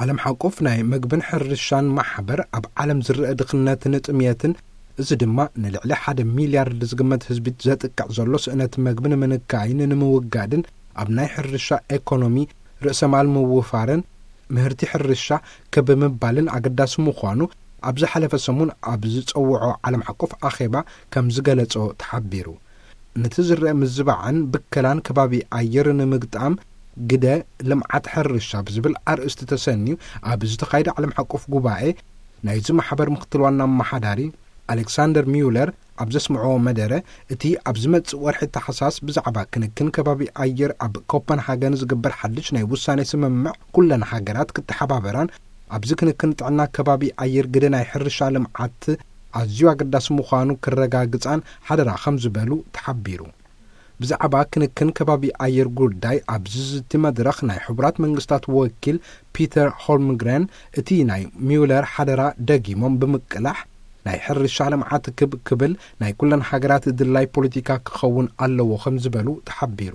ዓለም ሓቆፍ ናይ መግብን ሕርሻን ማሕበር ኣብ ዓለም ዝረአ ድኽነትን ጥምየትን፣ እዚ ድማ ንልዕሊ ሓደ ሚልያርድ ዝግመት ህዝቢ ዘጥቅዕ ዘሎ ስእነት መግቢ ንምንካይን ንምውጋድን ኣብ ናይ ሕርሻ ኤኮኖሚ ርእሰ ማል ምውፋርን ምህርቲ ሕርሻ ከብ ምባልን ኣገዳሲ ምዃኑ ኣብ ዝሓለፈ ሰሙን ኣብ ዝጸውዖ ዓለም ሓቆፍ ኣኼባ ከም ዝገለጾ ተሓቢሩ። ነቲ ዝረአ ምዝባዕን ብከላን ከባቢ ኣየር ንምግጣም ግደ ልምዓት ሕርሻ ብዝብል ኣርእስቲ ተሰንዩ ኣብ ዝተኻየደ ዓለም ሓቆፍ ጉባኤ ናይዚ ማሕበር ምክትል ዋና ኣመሓዳሪ ኣሌክሳንደር ሚውለር ኣብ ዘስምዕዎ መደረ፣ እቲ ኣብ ዝመጽእ ወርሒ ታሕሳስ ብዛዕባ ክንክን ከባቢ ኣየር ኣብ ኮፐንሃገን ዝግበር ሓድሽ ናይ ውሳኔ ስምምዕ ኩለን ሃገራት ክተሓባበራን ኣብዚ ክንክን ጥዕና ከባቢ ኣየር ግደ ናይ ሕርሻ ልምዓት ኣዝዩ ኣገዳሲ ምዃኑ ክረጋግጻን ሓደራ ከም ዝበሉ ተሓቢሩ። ብዛዕባ ክንክን ከባቢ ኣየር ጉዳይ ኣብዚ ዝዝቲ መድረኽ ናይ ሕቡራት መንግስታት ወኪል ፒተር ሆልምግረን እቲ ናይ ሚውለር ሓደራ ደጊሞም ብምቅላሕ ናይ ሕርሻ ልምዓት ክብ ክብል ናይ ኩለን ሃገራት ድላይ ፖለቲካ ክኸውን ኣለዎ ከም ዝበሉ ተሓቢሩ።